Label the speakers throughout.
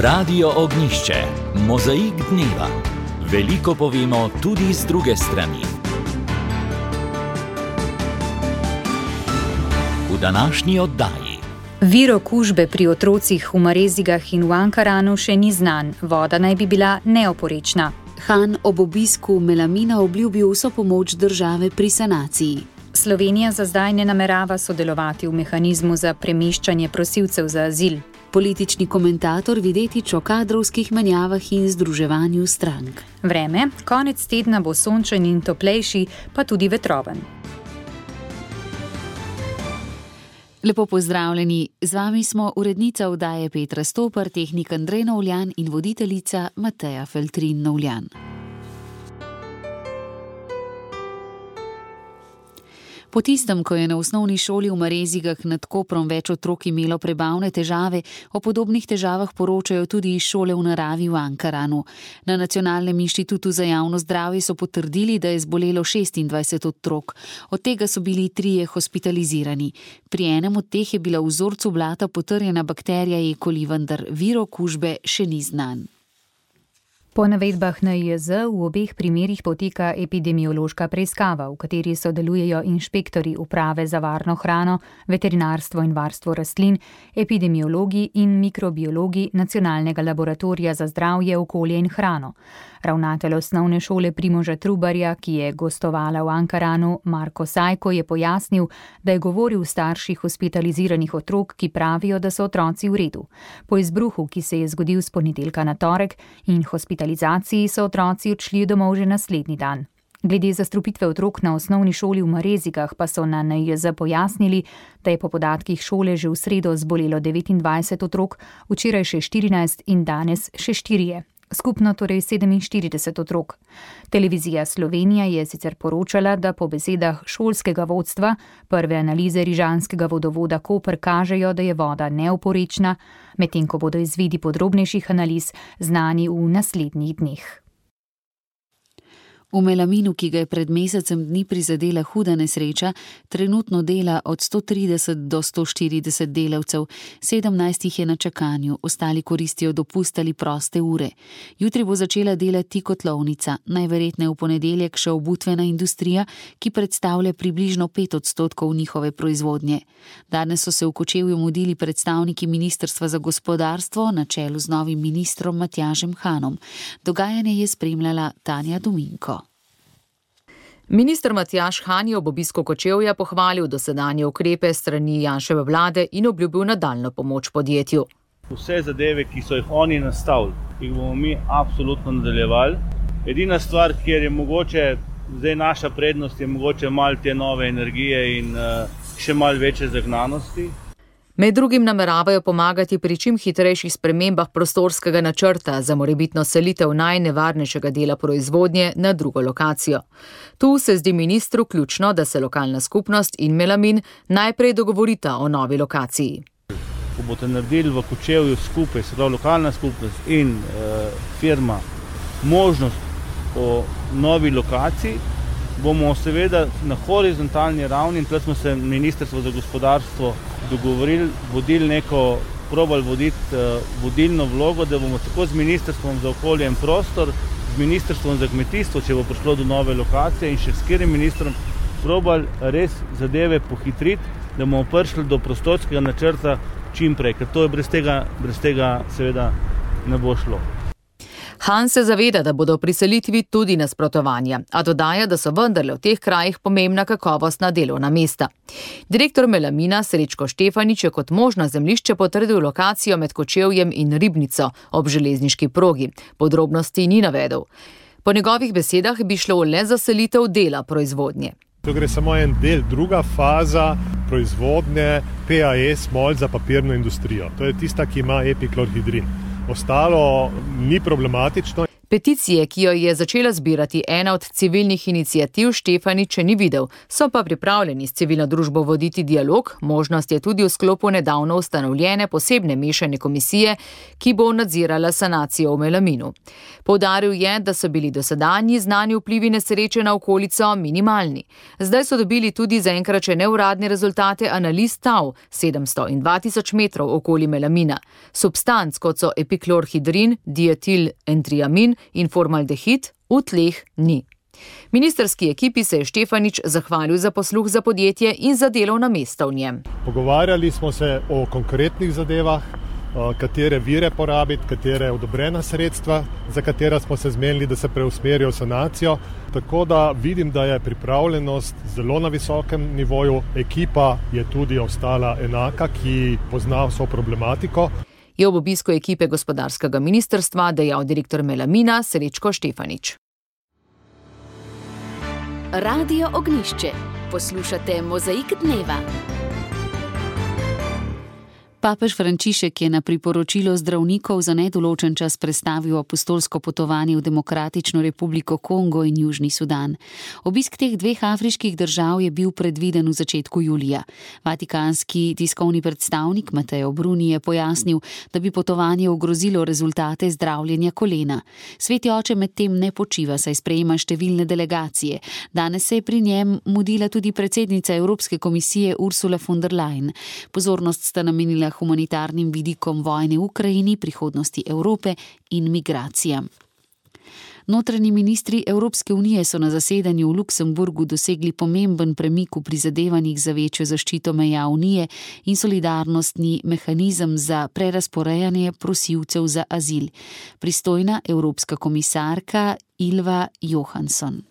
Speaker 1: Radio Ognjišče, mozaik dneva. Veliko povemo tudi z druge strani. V današnji oddaji.
Speaker 2: Vir okužbe pri otrocih v Marezigah in v Ankaranu še ni znan, voda naj bi bila neoporečna.
Speaker 3: Han ob obisku Melamina obljubil vso pomoč države pri sanaciji.
Speaker 2: Slovenija za zdaj ne namerava sodelovati v mehanizmu za premeščanje prosilcev za azil.
Speaker 3: Politični komentator Videtič o kadrovskih menjavah in združevanju strank.
Speaker 2: Vreme, konec tedna bo sončen in toplejši, pa tudi vetroven.
Speaker 3: Lepo pozdravljeni, z vami smo urednica oddaje Petra Stopar, tehnik Andrej Novljan in voditeljica Mateja Feltrin Novljan. Po tistem, ko je na osnovni šoli v Marezigah nad Koprom več otrok imelo prebavne težave, o podobnih težavah poročajo tudi iz šole v naravi v Ankaranu. Na Nacionalnem inštitutu za javno zdravje so potrdili, da je zbolelo 26 otrok. Od tega so bili 3 hospitalizirani. Pri enem od teh je bila v vzorcu blata potrjena bakterija E. coli, vendar vir okužbe še ni znan.
Speaker 2: Po navedbah NIJZ v obeh primerih poteka epidemiološka preiskava, v kateri sodelujejo inšpektorji Uprave za varno hrano, veterinarstvo in varstvo rastlin, epidemiologi in mikrobiologi Nacionalnega laboratorija za zdravje, okolje in hrano. Ravnatelj osnovne šole Primoža Trubarja, ki je gostovala v Ankaranu, Marko Sajko, je pojasnil, da je govoril starši hospitaliziranih otrok, ki pravijo, da so otroci v redu. Po izbruhu, ki se je zgodil s ponedeljka na torek, in hospitalizaciji so otroci odšli domov že naslednji dan. Glede zastrupitve otrok na osnovni šoli v Marezigah pa so na NIJZ pojasnili, da je po podatkih šole že v sredo zbolelo 29 otrok, včeraj še 14 in danes še 4. Skupno torej 47 otrok. Televizija Slovenija je sicer poročala, da po besedah šolskega vodstva prve analize rižanskega vodovoda Koper kažejo, da je voda neoporečna, medtem ko bodo izvidi podrobnejših analiz znani v naslednjih dneh.
Speaker 3: V Melaminu, ki ga je pred mesecem dni prizadela huda nesreča, trenutno dela od 130 do 140 delavcev, 17 jih je na čakanju, ostali koristijo dopust ali proste ure. Jutri bo začela delati kotlovnica, najverjetneje v ponedeljek še obutvena industrija, ki predstavlja približno 5% njihove proizvodnje. Danes so se v Kočevju mudili predstavniki Ministrstva za gospodarstvo na čelu z novim ministrom Matjažem Hanom. Dogajanje je spremljala Tanja Dominko.
Speaker 4: Minister Matjaž Han je ob obisku Kočevja pohvalil dosedanje ukrepe strani Janševe vlade in obljubil nadaljnjo pomoč podjetju.
Speaker 5: Vse zadeve, ki so jih oni nastavili, jih bomo mi absolutno nadaljevali. Edina stvar, kjer je mogoče, zdaj naša prednost, je mogoče malo te nove energije in še malo večje zagnanosti.
Speaker 4: Med drugim nameravajo pomagati pri čim hitrejših spremembah prostorskega načrta za morebitno selitev najnevarnejšega dela proizvodnje na drugo lokacijo. Tu se zdi ministru ključno, da se lokalna skupnost in Melamin najprej dogovorita o novi lokaciji.
Speaker 5: Ko boste naredili v Kočevju skupaj, se pravi lokalna skupnost in firma, možnost o novi lokaciji, bomo seveda na horizontalni ravni, in tukaj smo se Ministrstvo za gospodarstvo dogovorili, probali voditi vodilno vlogo, da bomo tako z Ministrstvom za okolje in prostor, z Ministrstvom za kmetijstvo, če bo prišlo do nove lokacije, in še s katerim ministrom probali res zadeve pohitriti, da bomo prišli do prostorskega načrta čim prej, ker to je brez tega seveda ne bo šlo.
Speaker 4: Han se zaveda, da bodo pri selitvi tudi nasprotovanja, a dodaja, da so vendarle v teh krajih pomembna kakovostna delovna mesta. Direktor Melamina Srečko Štefanič je kot možno zemljišče potrdil lokacijo med Kočevjem in Ribnico ob železniški progi. Podrobnosti ni navedel. Po njegovih besedah bi šlo le za selitev dela proizvodnje.
Speaker 6: To gre samo en del, druga faza proizvodnje PAE smol za papirno industrijo. To je tista, ki ima epiklohidrin. Ostalo ni problematično.
Speaker 4: Peticije, ki jo je začela zbirati ena od civilnih iniciativ, Štefanič še ni videl, so pa pripravljeni s civilno družbo voditi dialog. Možnost je tudi v sklopu nedavno ustanovljene posebne mešane komisije, ki bo nadzirala sanacijo v Melaminu. Poudaril je, da so bili dosedanji znani vplivi nesreče na okolico minimalni. Zdaj so dobili tudi zaenkrat še neuradne rezultate analiz tal 700 in 2000 metrov okoli Melamina. Substanc, kot so epiklorhidrin, dietil-entriamin in formaldehid, v tleh ni. Ministrski ekipi se je Štefanič zahvalil za posluh za podjetje in za delovna mesta v njem.
Speaker 6: Pogovarjali smo se o konkretnih zadevah, katere vire porabiti, katere odobrena sredstva, za katera smo se zmenili, da se preusmerijo v sanacijo. Tako da vidim, da je pripravljenost zelo na visokem nivoju. Ekipa je tudi ostala enaka, ki pozna vso problematiko.
Speaker 4: Je ob obisku ekipe gospodarskega ministrstva dejal direktor Melamina Srečko Štefanič.
Speaker 3: Radio Ognjišče. Poslušate Mozaik dneva. Papež Frančišek je na priporočilo zdravnikov za nedoločen čas prestavil apostolsko potovanje v Demokratično republiko Kongo in Južni Sudan. Obisk teh dveh afriških držav je bil predviden v začetku julija. Vatikanski tiskovni predstavnik Mateo Bruni je pojasnil, da bi potovanje ogrozilo rezultate zdravljenja kolena. Sveti oče medtem ne počiva, saj sprejema številne delegacije. Danes se je pri njem mudila tudi predsednica Evropske komisije Ursula von der Leyen. Pozornost sta namenila humanitarnim vidikom vojne v Ukrajini, prihodnosti Evrope in migracijam. Notranji ministri Evropske unije so na zasedanju v Luksemburgu dosegli pomemben premik v prizadevanjih za večjo zaščito meja unije in solidarnostni mehanizem za prerazporejanje prosilcev za azil. Pristojna evropska komisarka Ylva Johansson.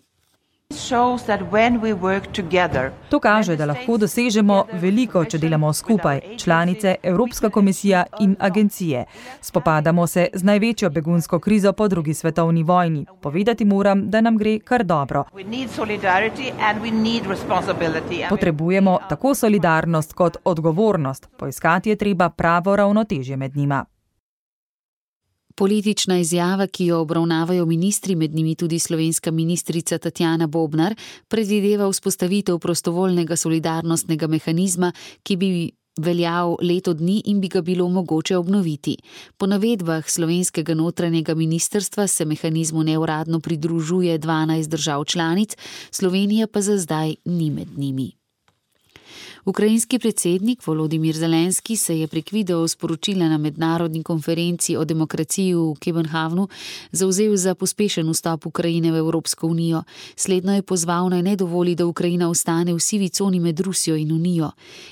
Speaker 7: To kaže, da lahko dosežemo veliko, če delamo skupaj, članice, Evropska komisija in agencije. Spopadamo se z največjo begunsko krizo po drugi svetovni vojni. Povedati moram, da nam gre kar dobro. Potrebujemo tako solidarnost kot odgovornost. Poiskati je treba pravo ravnotežje med njima.
Speaker 3: Politična izjava, ki jo obravnavajo ministri, med njimi tudi slovenska ministrica Tatjana Bobnar, predvideva vzpostavitev prostovoljnega solidarnostnega mehanizma, ki bi veljal leto dni in bi ga bilo mogoče obnoviti. Po navedbah slovenskega notranjega ministrstva se mehanizmu neuradno pridružuje 12 držav članic, Slovenija pa za zdaj ni med njimi. Ukrajinski predsednik Volodimir Zelenski se je prek videosporočila na mednarodni konferenci o demokraciji v Kopenhavnu zavzel za pospešen vstop Ukrajine v Evropsko unijo. Slednjo je pozval, naj ne dovoli, da Ukrajina ostane v sivi coni med Rusijo in Unijo.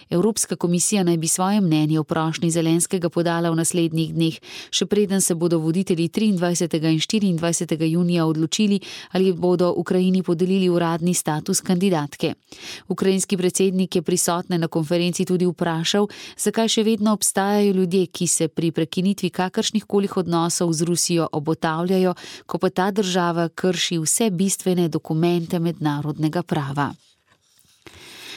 Speaker 3: Evropska komisija naj bi svoje mnenje o prošnji Zelenskega podala v naslednjih dneh, še preden se bodo voditelji 23. in 24. junija odločili, ali bodo Ukrajini podelili uradni status kandidatke. Ukrajinski predsednik je prisotne na konferenci tudi vprašal, zakaj še vedno obstajajo ljudje, ki se pri prekinitvi kakršnihkoli odnosov z Rusijo obotavljajo, ko pa ta država krši vse bistvene dokumente mednarodnega prava.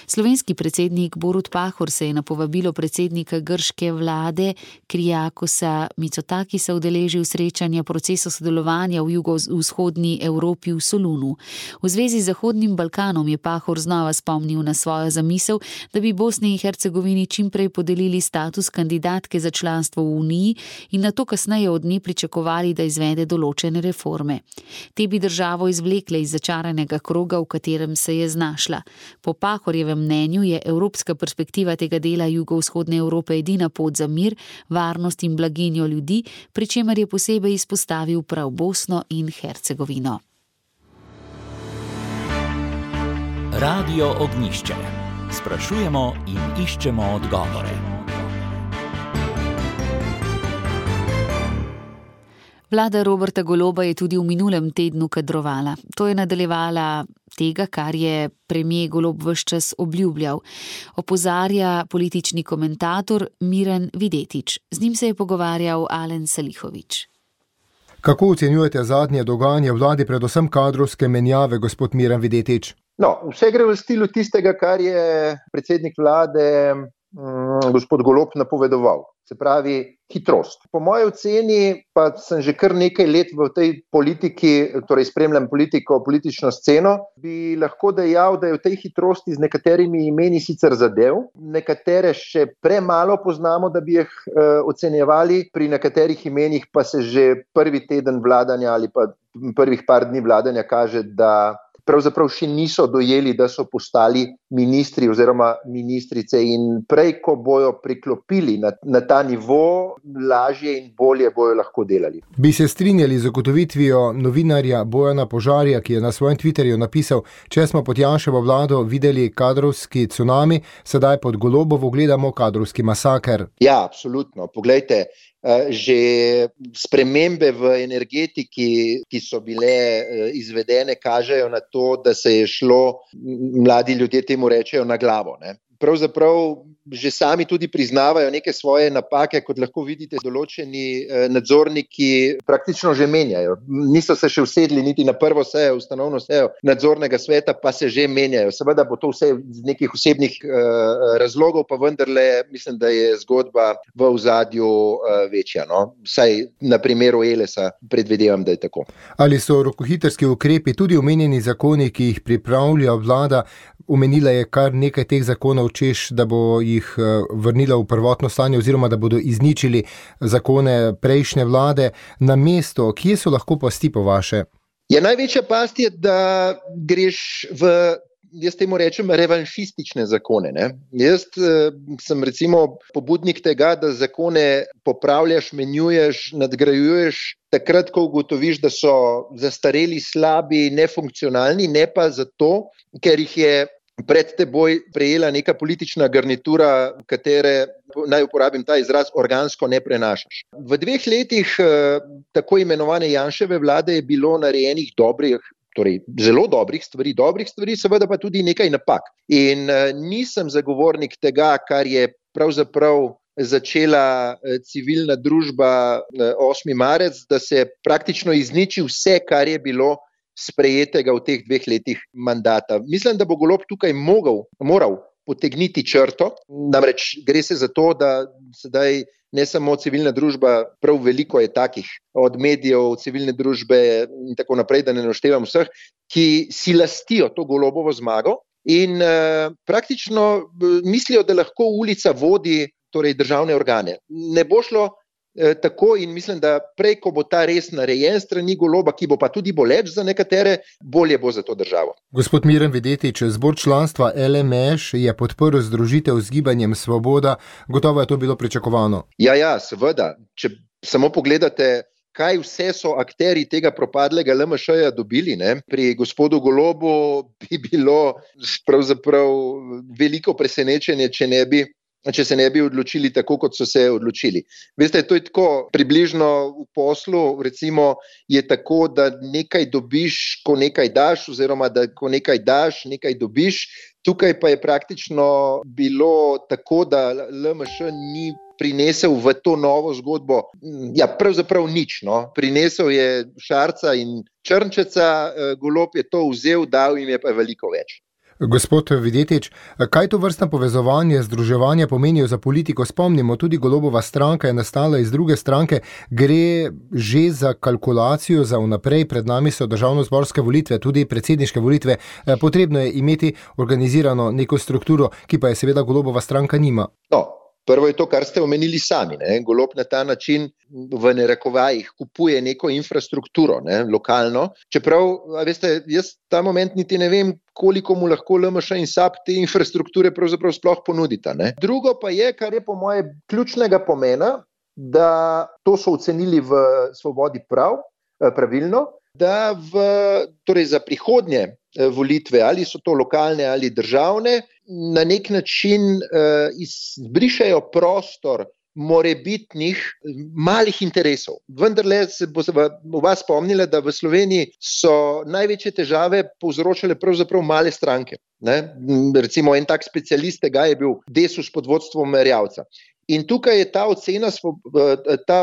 Speaker 3: Slovenski predsednik Borut Pahor se je na povabilo predsednika grške vlade Kyriakosa Mitsotakisa udeležil srečanja procesa sodelovanja v jugovzhodni Evropi v Solunu. V zvezi z Zahodnim Balkanom je Pahor znova spomnil na svojo zamisel, da bi Bosni in Hercegovini čimprej podelili status kandidatke za članstvo v Uniji in nato kasneje od nje pričakovali, da izvede določene reforme. Te bi državo izvlekle iz začaranega kroga, v katerem se je znašla. Po Pahorjevem mnenju je evropska perspektiva tega dela jugovzhodne Evrope edina pot za mir, varnost in blaginjo ljudi, pri čemer je posebej izpostavil prav Bosno in Hercegovino.
Speaker 1: Radio Ognjišče. Sprašujemo in iščemo odgovore.
Speaker 3: Vlada Roberta Goloba je tudi v minulem tednu kadrovala. To je nadaljevala tega, kar je premier Golob ves čas obljubljal. Opozarja politični komentator Miran Videtič. Z njim se je pogovarjal Alen Salihović.
Speaker 8: Kako ocenjujete zadnje dogajanje v vladi, predvsem kadrovske menjave, gospod Miran Videtič?
Speaker 9: No, vse gre v stilu tistega, kar je predsednik vlade gospod Golob napovedoval. Se pravi, hitrost. Po moji oceni, pa sem že kar nekaj let v tej politiki, torej spremljam politično sceno, bi lahko dejal, da je v tej hitrosti z nekaterimi imeni sicer zadev, nekatere še premalo poznamo, da bi jih ocenjevali, pri nekaterih imenih pa se že prvi teden vladanja ali pa prvih par dni vladanja kaže, da pravzaprav še niso dojeli, da so postali ministri oziroma ministrice in prej, ko bojo priklopili na ta nivo, lažje in bolje bojo lahko delali.
Speaker 8: Bi se strinjali z ugotovitvijo novinarja Bojana Požarja, ki je na svojem Twitterju napisal: če smo pod Janševo vlado videli kadrovski cunami, sedaj pod Golobovo gledamo kadrovski masaker.
Speaker 9: Ja, absolutno. Poglejte, že spremembe v energetiki, ki so bile izvedene, kažejo na to, da se je šlo, mladi ljudje temu rečejo, na glavo, ne. Pravzaprav že sami tudi priznavajo neke svoje napake, kot lahko vidite, določeni nadzorniki praktično že menjajo. Niso se še usedli niti na prvo sejo, ustanovno sejo nadzornega sveta, pa se že menjajo. Seveda bo to vse z nekih osebnih razlogov, pa vendarle mislim, da je zgodba v ozadju večja. No? Vsaj na primeru Elesa predvidevam, da je tako.
Speaker 8: Ali so rokohitrski ukrepi tudi omenjeni zakoni, ki jih pripravlja vlada? Omenila je kar nekaj teh zakonov, češ, da bo jih vrnila v prvotno stanje oziroma da bodo izničili zakone prejšnje vlade. Na mesto, kje so lahko pasti po vaše?
Speaker 9: Ja, največja past je, da greš v, jaz temu rečem, revanšistične zakone. Ne? Jaz sem recimo pobudnik tega, da zakone popravljaš, menjuješ, nadgrajuješ takrat, ko ugotoviš, da so zastareli, slabi, nefunkcionalni, ne pa zato, ker jih je pred teboj prejela neka politična garnitura, katere, naj uporabim ta izraz, organsko ne prenašaš. V 2 letih tako imenovane Janševe vlade je bilo narejenih torej zelo dobrih stvari, seveda pa tudi nekaj napak. In nisem zagovornik tega, kar je pravzaprav začela civilna družba 8. marec, da se praktično izniči vse, kar je bilo sprejetega v teh 2 letih mandata. Mislim, da bo Golob tukaj moral potegniti črto, namreč gre se za to, da sedaj ne samo civilna družba, prav veliko je takih, od medijev, civilne družbe in tako naprej, da ne naštevam vseh, ki si lastijo to Golobovo zmago in praktično mislijo, da lahko ulica vodi torej državne organe. Ne bo šlo tako in mislim, da prej, ko bo ta res narejen strani Goloba, ki bo pa tudi boleč za nekatere, bolje bo za to državo.
Speaker 8: Gospod Miran Videtič, zbor članstva LMŠ je podprl združitev z Gibanjem Svoboda. Gotovo je to bilo pričakovano.
Speaker 9: Ja, seveda. Če samo pogledate, kaj vse so akterji tega propadlega LMŠ-ja dobili, ne? Pri gospodu Golobu bi bilo pravzaprav veliko presenečenje, če se ne bi odločili tako, kot so se odločili. Veste, to je tako, približno v poslu, recimo, je tako, da nekaj dobiš, ko nekaj daš, oziroma da ko nekaj daš, nekaj dobiš. Tukaj pa je praktično bilo tako, da LMŠ ni prinesel v to novo zgodbo, ja, pravzaprav nič, no. Prinesel je Šarca in Črnčeca, Golob je to vzel, dal jim je pa veliko več.
Speaker 8: Gospod Videtič, kaj to vrstno povezovanje, združevanje pomenijo za politiko? Spomnimo, tudi Golobova stranka je nastala iz druge stranke. Gre že za kalkulacijo za vnaprej, pred nami so državnozborske volitve, tudi predsedniške volitve. Potrebno je imeti organizirano neko strukturo, ki pa je seveda Golobova stranka nima.
Speaker 9: Prvo je to, kar ste omenili sami. Ne? Golob na ta način v narekovajih kupuje neko infrastrukturo, ne? Lokalno. Čeprav, veste, jaz ta moment niti ne vem, koliko mu lahko LMŠ in SAB te infrastrukture pravzaprav sploh ponudita. Ne? Drugo pa je, kar je po moje ključnega pomena, da to so ocenili v Svobodi pravilno, da torej za prihodnje volitve, ali so to lokalne ali državne, na nek način izbrišajo prostor morebitnih malih interesov. Vendarle se bo vas spomnila, da v Sloveniji so največje težave povzročale pravzaprav male stranke. Ne? Recimo en tak specialist tega je bil Desus pod vodstvom Erjavca. In tukaj je ta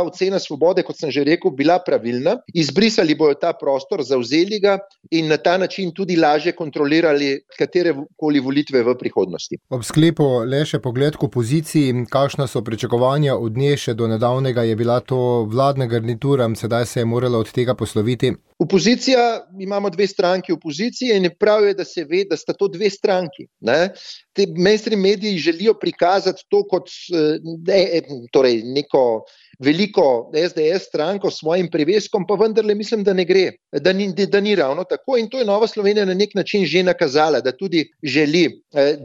Speaker 9: ocena svobode, kot sem že rekel, bila pravilna. Izbrisali bojo ta prostor, zavzeli ga in na ta način tudi lažje kontrolirali katerekoli volitve v prihodnosti.
Speaker 8: Ob sklepu le še pogled k opoziciji, kakšna so pričakovanja od nje, še do nedavnega je bila to vladna garnitura, sedaj se je morala od tega posloviti.
Speaker 9: Opozicija, imamo dve stranki opozicije in prav je, da se ve, da sta to dve stranki. Ne? Te mainstream mediji želijo prikazati to kot torej neko veliko SDS stranko s svojim priveskom, pa vendarle mislim, da ne gre, da ni ravno tako in to je Nova Slovenija na nek način že nakazala, da tudi želi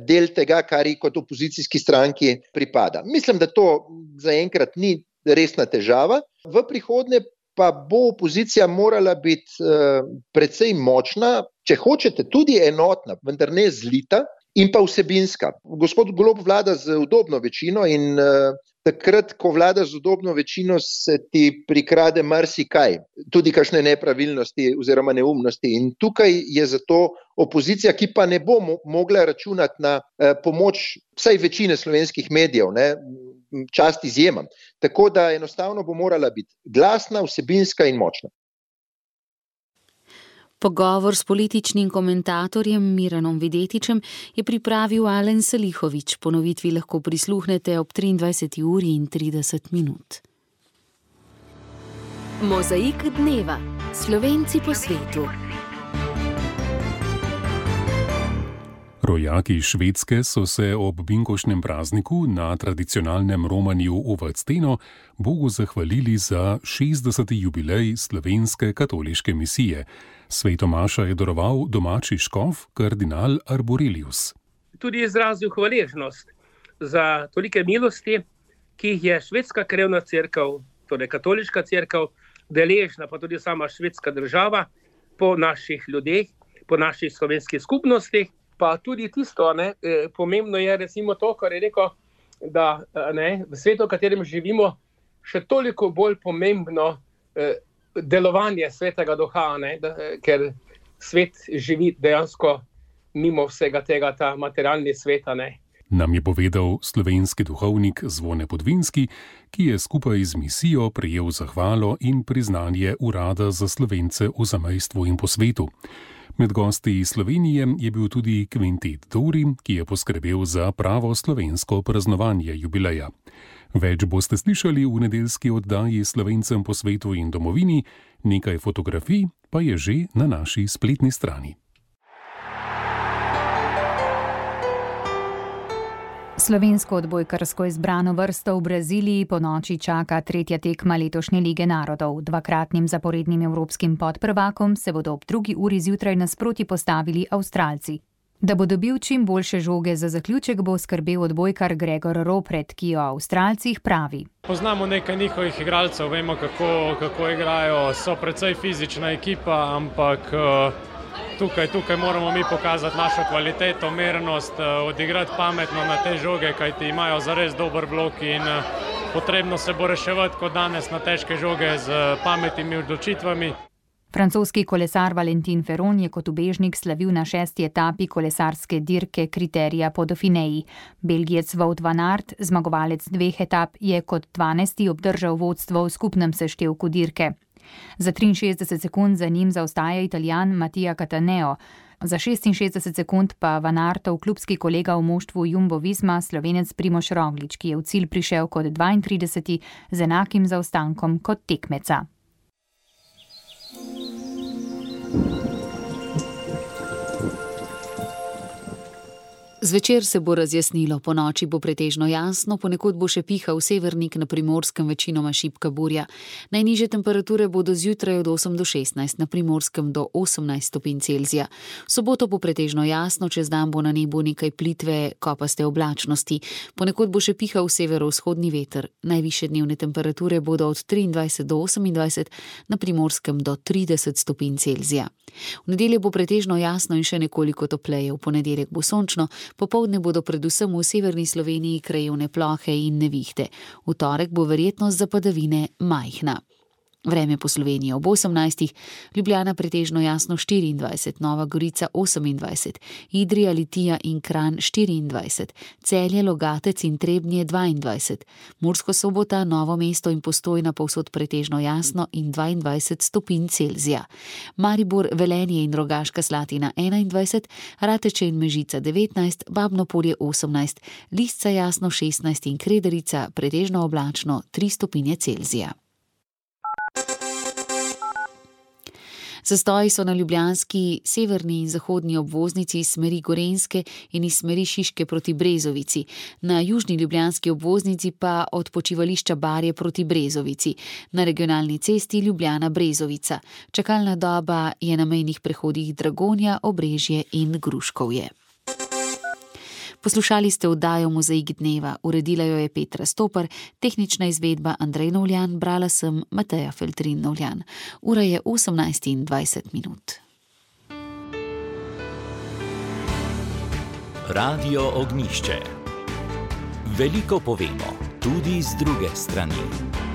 Speaker 9: del tega, kar ji kot opozicijski stranki pripada. Mislim, da to zaenkrat ni resna težava. V prihodnje pa bo opozicija morala biti precej močna, če hočete tudi enotna, vendar ne zlita in pa vsebinska. Gospod Golob vlada z udobno večino in takrat, ko vlada z udobno večino, se ti prikrade marsikaj, tudi kakšne nepravilnosti oziroma neumnosti. In tukaj je zato opozicija, ki pa ne bo mogla računati na pomoč vsaj večine slovenskih medijev, ne, čast izjemam. Tako da enostavno bo morala biti glasna, vsebinska in močna.
Speaker 3: Pogovor s političnim komentatorjem Miranom Videtičem je pripravil Alen Salihović. Ponovitvi lahko prisluhnete ob 23:30.
Speaker 10: Mozaik dneva. Slovenci po svetu.
Speaker 11: Rojaki Švedske so se ob binkoštnem prazniku na tradicionalnem romanju v Vadsteno Bogu zahvalili za 60. jubilej slovenske katoliške misije. Svetomaša je daroval domači škof, kardinal Arborelius.
Speaker 12: Tudi izrazil hvaležnost za tolike milosti, ki jih je švedska krevna cerkev, torej katoliška cerkev, deležna, pa tudi sama švedska država, po naših ljudeh, po naših slovenskih skupnostih. Pa tudi tisto, pomembno je recimo to, kar je rekel, da v svetu, v katerem živimo, še toliko bolj pomembno delovanje svetega duha, ker svet živi dejansko mimo vsega tega, ta materialni svet.
Speaker 11: Nam je povedal slovenski duhovnik Zvone Podvinski, ki je skupaj z misijo prejel zahvalo in priznanje Urada za Slovence v zamejstvu in po svetu. Med gosti iz Slovenije je bil tudi kvintet Dori, ki je poskrbel za pravo slovensko praznovanje jubileja. Več boste slišali v nedeljski oddaji Slovencem po svetu in domovini, nekaj fotografij pa je že na naši spletni strani.
Speaker 2: Slovensko odbojkarsko izbrano vrsto v Braziliji po noči čaka tretja tekma letošnje Lige narodov. Dvakratnim zaporednim evropskim podprvakom se bodo ob 2. uri zjutraj nasproti postavili Avstralci. Da bo dobil čim boljše žoge za zaključek, bo skrbel odbojkar Gregor Ropret, ki o Avstralcih pravi.
Speaker 13: Poznamo nekaj njihovih igralcev, vemo kako igrajo, so precej fizična ekipa, ampak Tukaj moramo mi pokazati našo kvaliteto, mernost, odigrati pametno na te žoge, kajti imajo zares dober blok in potrebno se bo reševati kot danes na težke žoge z pametnimi odločitvami.
Speaker 2: Francoski kolesar Valentin Ferron je kot ubežnik slavil na 6. etapi kolesarske dirke Kriterija po Dauphineji. Belgijec Wout van Aert, zmagovalec 2 etap, je kot 12. obdržal vodstvo v skupnem seštevku dirke. Za 63 sekund za njim zaostaja Italijan Mattia Cataneo, za 66 sekund pa Van Aertov klubski kolega v moštvu Jumbo Visma, Slovenec Primož Roglič, ki je v cilj prišel kot 32. z enakim zaostankom kot tekmeca.
Speaker 3: Zvečer se bo razjasnilo, po noči bo pretežno jasno, ponekod bo še pihal severnik, na Primorskem večinoma šibka burja. Najnižje temperature bodo zjutraj od 8 do 16, na Primorskem do 18 stopinj Celzija. V soboto bo pretežno jasno, čez dan bo na nebu nekaj plitve, kopaste oblačnosti. Ponekod bo še pihal severovzhodni veter. Najvišje dnevne temperature bodo od 23 do 28, na Primorskem do 30 stopinj Celzija. V nedeljo bo pretežno jasno in še nekoliko topleje, v ponedeljek bo sončno, popoldne bodo predvsem v severni Sloveniji krajevne plohe in nevihte. V torek bo verjetnost za padavine majhna. Vreme po Sloveniji ob 18, Ljubljana pretežno jasno 24, Nova Gorica 28, Idrija, Litija in Kranj 24, Celje, Logatec in Trebnje 22, Mursko Sobota, Novo mesto in Postojna povsod pretežno jasno in 22 stopinj Celzija. Maribor, Velenje in Rogaška Slatina 21, Rateče in Mežica 19, Babno Polje 18, Lisca jasno 16 in Krederica pretežno oblačno 3 stopinje Celzija. Zastoji so na ljubljanski severni in zahodni obvoznici iz smeri Gorenjske in iz smeri Šiške proti Brezovici. Na južni ljubljanski obvoznici pa od počivališča Barje proti Brezovici. Na regionalni cesti Ljubljana-Brezovica. Čakalna doba je na mejnih prehodih Dragonja, Obrežje in Gruškovje. Poslušali ste oddajo Mozaik dneva, uredila jo je Petra Stopar, tehnična izvedba Andrej Novljan, brala sem Mateja Feltrin Novljan. Ura je 18:20.
Speaker 1: Radio Ognjišče. Veliko povemo, tudi z druge strani.